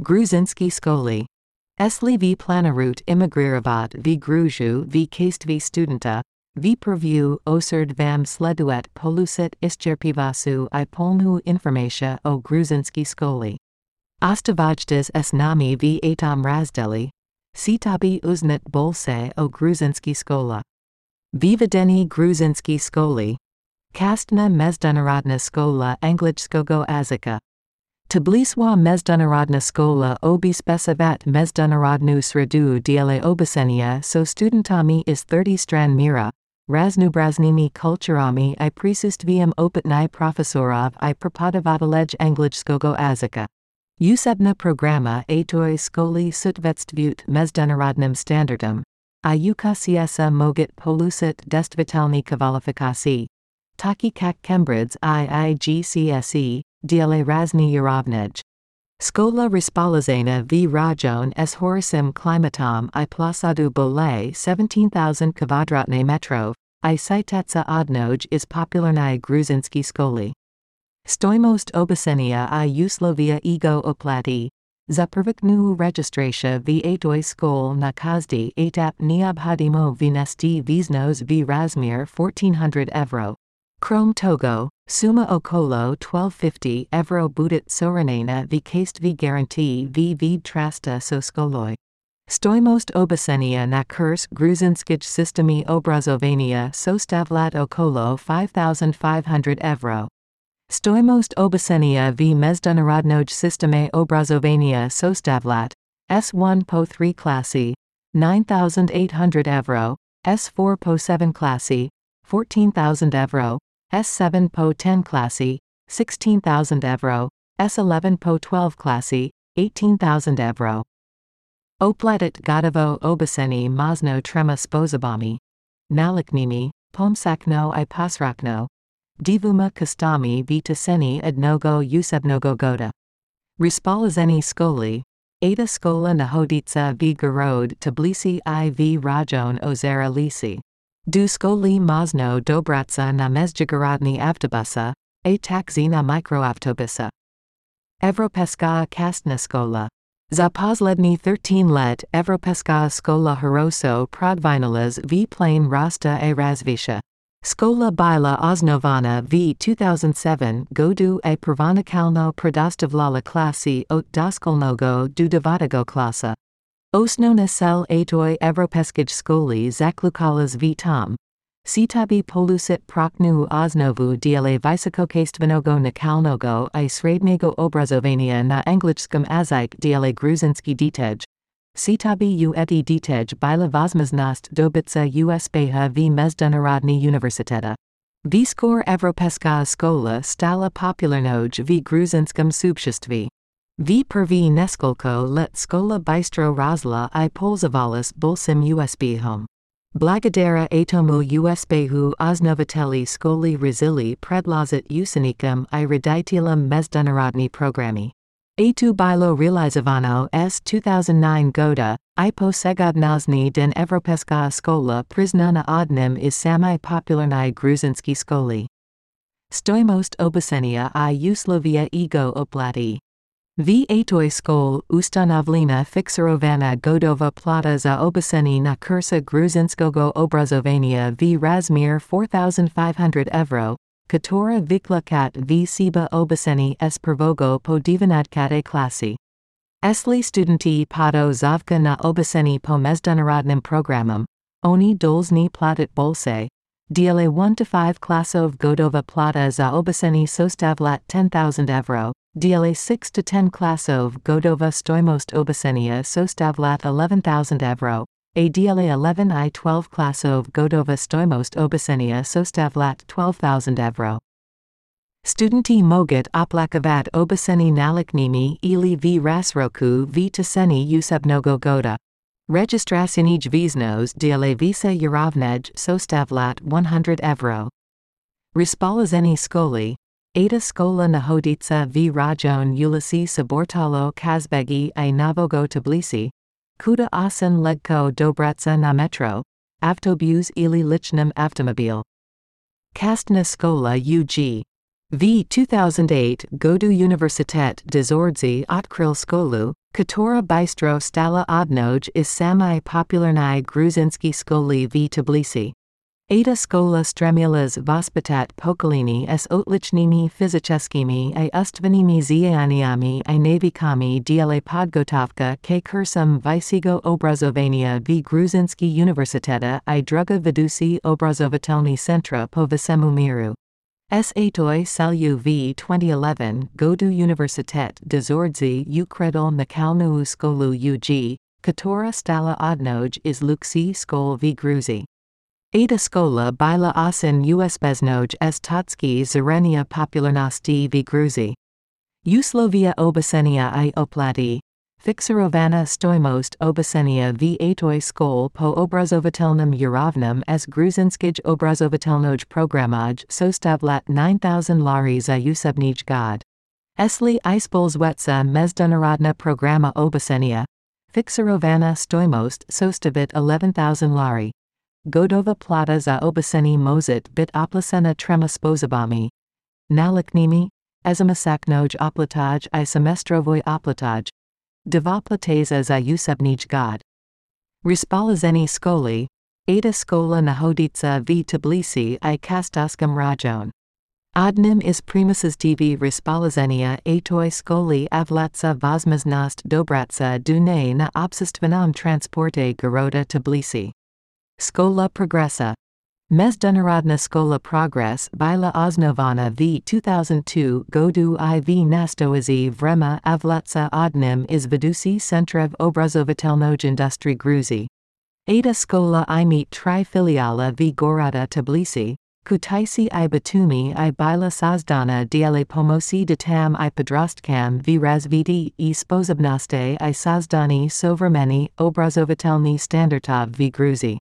Gruzinski Skoli. Esli v planarut immigriravat v Gruju v kastvi studenta, v preview oserd vam sleduet polusit ischerpivasu I polnu informatia o Gruzinski Skoli. Ostavajtas s nami v atom razdeli, sitabi uznat bolse o Gruzinski Skola. Vivedeni Gruzinski Skoli. Kastna Mezdunarodna Skola Anglichskogo Azika. Tbiliswa Mezdunarodna Skola obispesavat Mezdunarodnu sredu diele obasenia so studentami is 30 stran mira, raznubraznimi kulturami I prisustvium opatni profesorov I prepodavatalej Anglichskogo Azika. Usebna programa atoi skoli sutvetstvyut Mezdunarodnym standardom, I ukasiesa mogit polusit destvitalni kvalifikasi. Taki kak kembrids IIGCSE, diele razni yarovnej. Skola Respalazena v Rajon s Horisim Klimatom I Plasadu Bole 17,000 kvadratne metrov, I Sitetsa Odnoj is popularni Gruzinski Skoli. Stoimost obasenia I Uslovia ego oplati, za prvoknu registratia v atoi skol na kazdi etap neobhodimo vnesti viznos v razmir 1400 evro. Krom Togo, Suma Okolo 1250 evro budit soranena v kastvi guarantee v trasta so skoloi. Stoimost obasenia na kurs Gruzinskij systemi obrazovania sostavlat okolo 5500 evro. Stoimost obasenia v Mezdunarodnoj systeme obrazovania sostavlat, S1 po 3 klasi, 9800 evro, S4 po 7 klasi, 14,000 evro, S7 po 10 klasi, 16,000 evro, S11 po 12 klasi, 18,000 evro. Opletit gotovo obaseni mazno trema spozabami. Naliknimi, pomsakno I pasrakno. Divuma kastami vitaseni adnogo usebnogo goda. Respalazeni skoli. Ada skola nahoditsa v Garod Tbilisi I v Rajon Ozera Lisi. Du skoli mazno dobratsa na mezjigorodni avtobusa, a taxi na mikroavtobusa. Evropeska kastna skola. Za poslední 13 let Evropeska skola Horoso prodvinalaz v plane rasta a razvisha. Skola bila osnovana v 2007 godu a prvonikalno predostavlala klasi od doskolnogo do devatago klasa. Osnona sel atoi Evropeskij skoli zaklukalas v tom. Sitabi polusit proknu osnovu diele visokokastvenogo nakalnogo I srednego obrazovania na anglichskom azik diele Gruzinski ditej. Sitabi u eti ditej bila vozmaznost dobitsa uspeha v Mezdunarodni univerziteta. Viskor Evropeska skola stala popularnoj v Gruzinskom subshištvi. V prvi neskolko let skola bistro rozla I polzavalas bulsim usbhom. Blagodara atomu usbehu osnovateli skoli razili predlazit usanikum I reditilam Mezdunarodni programi. A2 bilo realizovano s 2009 goda, I posegodnozni den Evropeska skola priznana odnim is sami popularni Gruzinski skoli. Stoimost obasenia I uslovia ego oplati. V atoi skol ustanovlena fixerovana godova plata za obaseni na kursa Gruzinskogo obrazovania v razmir 4500 evro, Katora Viklakat v Siba Obaseni s Prvogo po Divanadkate klasi. Esli studenti pado zavka na Obaseni po Mezdunarodnym programom, oni dolzni platit bolse, diele 1 to 5 klasov godova plata za Obaseni sostavlat 10,000 evro, diele 6 to 10 klasov godova stoimost Obasenia sostavlat 11,000 evro. A diele 11 I 12 klasov godova stoimost obasenia sostavlat 12,000 evro. Studenti mogit oplakavat obaseni naliknimi ili v rasroku v taseni usebnogo goda. Registrasinij viznos diele visa yarovnej sostavlat 100 evro. Respalazeni skoli. Ada skola nahoditsa v Rajon Ulisi Sabortalo Kazbegi I Navogo Tbilisi. Kuda asen legko dobratsa na metro, avtobus ili lichnem avtomobil. Kastna skola UG. V 2008 Godu Universitet Dozordzi Otkril skolu, Katora bystro stala odnoj is samai popularnai gruzinski skoli v Tbilisi. Ada skola stremulas vospitat pokolini s otlichnimi fizyczeskimi I ustvanimi zianiami I navikami dla podgotowka k kursum wysiego obrazowania v Gruzinski Uniwersyteta I druga vedusi obrazovatelni centra po visemu miru. Atoi Salu v 2011 Godu Uniwersytet Dozordzi Ukredol Nakalnu Skolu UG, Katora stala odnoj is Luksi Skol v Gruzi. Ada skola bila osin usbeznoj s Totski Zarenia popularnosti v Gruzi. Uslovia obecenia I oplati. Fixerovana stojmost obecenia v atoj skol po obrazovatelnem urovnem s Gruzinskij obrazovatelnoj programaj sostavlat 9,000 lari za usebnij god. Esli ispolzwetsa mezdunarodna programa obecenia. Fixerovana stojmost sostavit 11,000 lari. Godova plata za obeceni mozit bit oplasena trema spozabami. Naliknimi, ezamasaknoj oplataj I semestrovoj oplataj. Devoplateza za usebnij god. Rispolazeni skoli, Ada skola nahoditsa v Tbilisi I kastoskam rajon. Odnim is primuses tv rispolazenia atoj skoli avlatsa vozmaznost dobratsa dune na obsistvanam transporte garoda Tbilisi. Skola progressa. Mezdunarodna skola progress bila osnovana v 2002 godu iv nastoazi vrema avlatsa odnim is vedusi centrev obrazovatelnoj industri Gruzi. Ada skola I meet tri filiala v Gorada Tbilisi, Kutaisi I Batumi I bila sazdana dla pomosi datam I podrostkam v razviti I spozobnosti I sazdani sovremeni obrazovatelni standardov v Gruzi.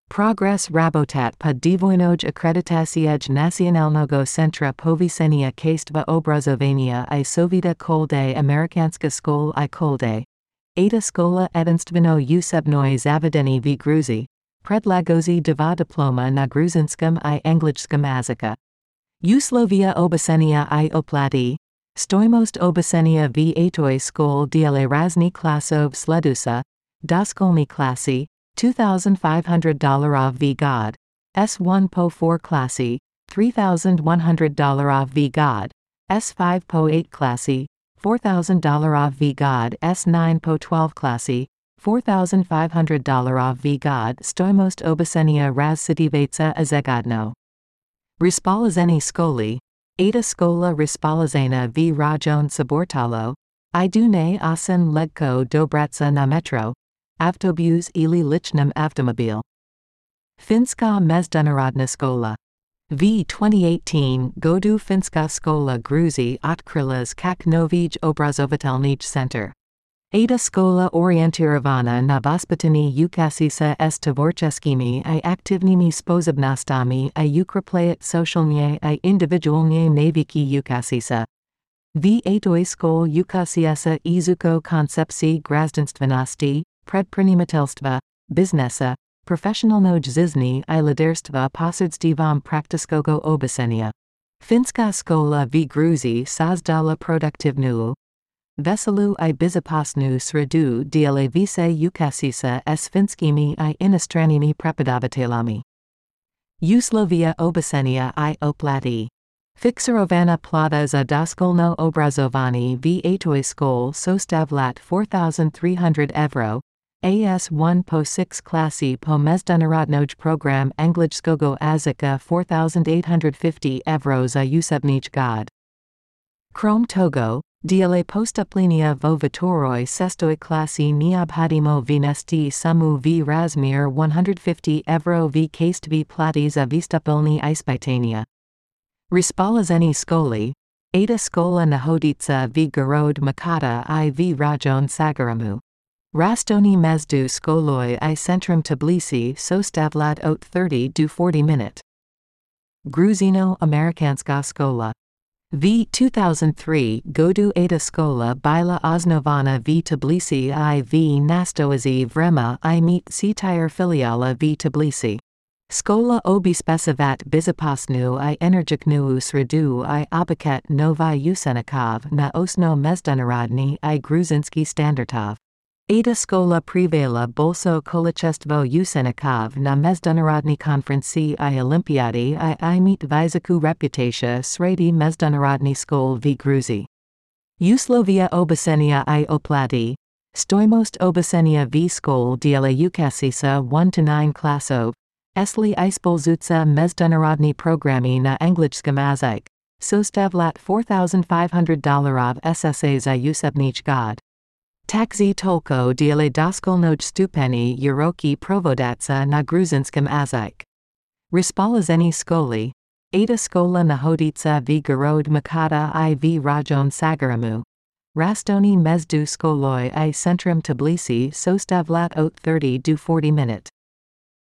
Progress rabotat pa dvojnoj akreditasiej nacionalnego centra povisenia kastva obrazovania I sovita kolde amerikanska skol I kolde. Ada skola edinstveno usebnoj zavedeni v Gruzi. Predlagozi dva diploma na gruzinskom I angličskom jazika. Uslovia obecenia I oplati. Stojmost obecenia v atoj skol dla razni klasov sledusa. Doskolni klasi. $2,500 v god. S1 po 4 klasi. $3,100 v god. S5 po 8 klasi. $4,000 v god. S9 po 12 klasi. $4,500 v god. Stojmost obecenia razsitivaca azegodno. Rispolazeni skoli. Ada skola rispolazena v rajon Sabortalo. I dune osin legko dobratsa na metro. Avtobus ili lichnem avtomobil. Finska mezdunarodna skola. V 2018 godu Finska skola Gruzi otkrilas kak novij obrazovatelnij center. Ada skola orientirovaná na vospitanie ukasisa s tvorcheskimi I aktivnimi spozobnostami I ukreplejit socialnie I individualnie navyki ukasisa. V atoj skol ukasiasa izuko koncepci grazdenstvenosti, predprenimatelstva, biznesa, professionalnoj zizni I liderstva posredstvom praktiskogo obecenia. Finska skola v Gruzi sazdala produktivnu. Veselu I bizopasnu sredu dla vise ukasisa s finskimi I inostranimi prepodavatelami. Uslovia obecenia I oplati. Fixerovana plata za doskolno obrazovani v atoj skol sostavlat 4,300 euro. AS1 po 6 klasi po mezdunarodnoj program angličskogo jazika 4,850 euro za usebnij god. Krom togo, dla postuplenia vo vitoroj sestoj klasi neobhodimo vnesti sumu v razmir 150 euro v kastvi plati za vystupilni ispitania. Rispolazeni skoli. Ada skola nahoditsa v Garod Makata I v rajon Sagaramu. Rastoni mezdu skoloi I centrum Tbilisi sostavlat ot 30 do 40 minute. Gruzino Amerikanska skola. V 2003 godu Ada skola bila osnovana v Tbilisi I v nastoazi vrema I meet citire filiala v Tbilisi. Szkoła obispecivat bizopasnu I energiknu sredu I obyket novi usenikov na osno mezdunarodni I gruzinski standartov. Ada szkola privela bolso kolečestvo usenikov na mezdunarodni konferenci I olimpiadi I meet vizaku reputatia sredi mezdunarodni skol v Gruzi. Uslovia obecenia I oplati. Stoimost obecenia v skol diela ukasisa 1-9 klasov. Esli ispolzuca mezdunarodni programi na angličskim jezik. Sostavlat $4,500 SSA za usebnich god. Taxi tolko diele doskolnoj stupeni uroki provodatsa na gruzinskim jezik. Rispolazeni skoli. Ada szkola nahoditsa v Gorod Makata I v Rajon Sagaramu. Rastoni mezdu skoloi I centrum Tbilisi sostavlat ot 30 do 40 minute.